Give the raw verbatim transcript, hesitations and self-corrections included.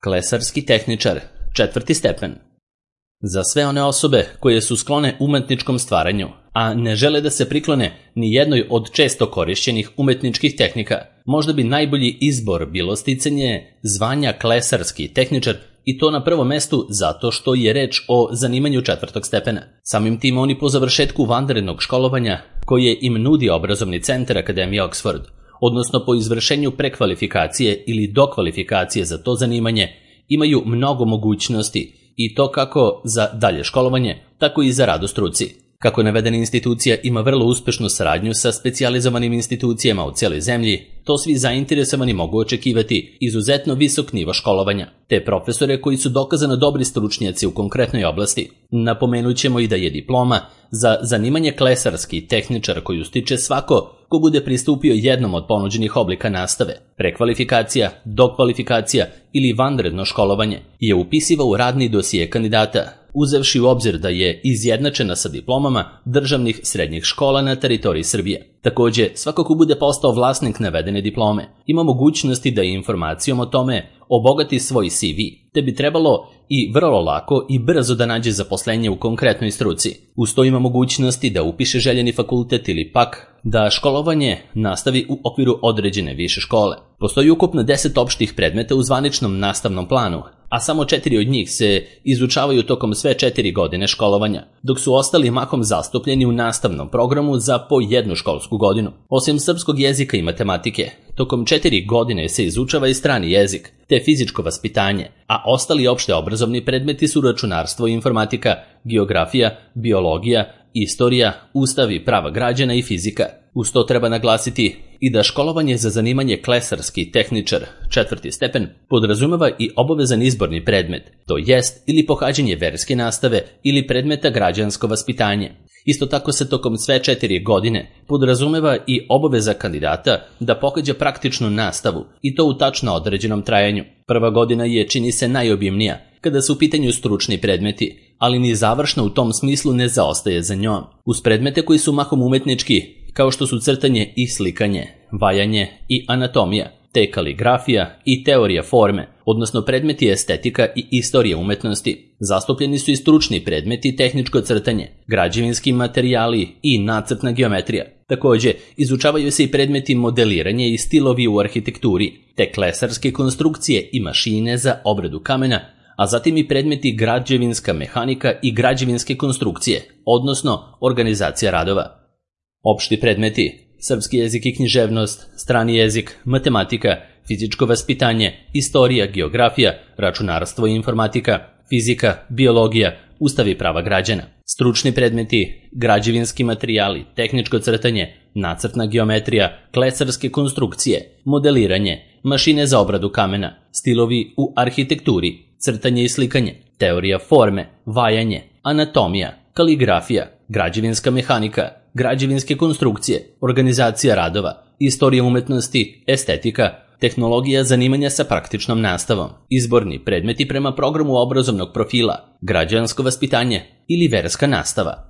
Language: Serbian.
Klesarski tehničar, četvrti stepen. Za sve one osobe koje su sklone umetničkom stvaranju, a ne žele da se priklone ni jednoj od često korišćenih umetničkih tehnika, možda bi najbolji izbor bilo sticanje zvanja klesarski tehničar, i to na prvom mestu zato što je reč o zanimanju četvrtog stepena. Samim tim oni po završetku vanrednog školovanja koje im nudi obrazovni centar Akademije Oxford, odnosno po izvršenju prekvalifikacije ili dokvalifikacije za to zanimanje, imaju mnogo mogućnosti, i to kako za dalje školovanje, tako i za rad u struci. Kako navedena institucija ima vrlo uspešnu saradnju sa specijalizovanim institucijama u cijeloj zemlji, to svi zainteresovani mogu očekivati izuzetno visok nivo školovanja, te profesore koji su dokazano dobri stručnjaci u konkretnoj oblasti. Napomenut ćemo i da je diploma za zanimanje klesarski tehničar koju stiče svako ko bude pristupio jednom od ponuđenih oblika nastave, prekvalifikacija, dokvalifikacija ili vanredno školovanje, je upisiva u radni dosije kandidata, uzevši u obzir da je izjednačena sa diplomama državnih srednjih škola na teritoriji Srbije. Takođe, svako ko bude postao vlasnik navedene diplome ima mogućnosti da informacijom o tome obogati svoj C V, te bi trebalo i vrlo lako i brzo da nađe zaposlenje u konkretnoj struci. Uz to ima mogućnosti da upiše željeni fakultet ili pak da školovanje nastavi u okviru određene više škole. Postoji ukupno deset opštih predmeta u zvaničnom nastavnom planu, a samo četiri od njih se izučavaju tokom sve četiri godine školovanja, dok su ostali mahom zastupljeni u nastavnom programu za po jednu školsku godinu. Osim srpskog jezika i matematike, tokom četiri godine se izučava i strani jezik, te fizičko vaspitanje, a ostali opšte obrazovni predmeti su računarstvo i informatika, geografija, biologija, istorija, ustav i prava građana i fizika. Uz to treba naglasiti i da školovanje za zanimanje klesarski tehničar, četvrti stepen, podrazumeva i obavezan izborni predmet, to jest ili pohađanje verske nastave ili predmeta građansko vaspitanje. Isto tako se tokom sve četiri godine podrazumeva i obaveza kandidata da pohađa praktičnu nastavu, i to u tačno određenom trajanju. Prva godina je, čini se, najobimnija kada su u pitanju stručni predmeti, ali ni završna u tom smislu ne zaostaje za njom. Uz predmete koji su mahom umetnički, kao što su crtanje i slikanje, vajanje i anatomija, te kaligrafija i teorija forme, odnosno predmeti estetika i istorija umetnosti. Zastupljeni su i stručni predmeti tehničko crtanje, građevinski materijali i nacrtna geometrija. Takođe, izučavaju se i predmeti modeliranje i stilovi u arhitekturi, te klesarske konstrukcije i mašine za obradu kamena, a zatim i predmeti građevinska mehanika i građevinske konstrukcije, odnosno organizacija radova. Opšti predmeti: srpski jezik i književnost, strani jezik, matematika, fizičko vaspitanje, istorija, geografija, računarstvo i informatika, fizika, biologija, ustav i prava građana. Stručni predmeti: građevinski materijali, tehničko crtanje, nacrtna geometrija, klesarske konstrukcije, modeliranje, mašine za obradu kamena, stilovi u arhitekturi, crtanje i slikanje, teorija forme, vajanje, anatomija, kaligrafija, građevinska mehanika, građevinske konstrukcije, organizacija radova, istorija umetnosti, estetika, tehnologija zanimanja sa praktičnom nastavom, izborni predmeti prema programu obrazovnog profila, građansko vaspitanje ili verska nastava.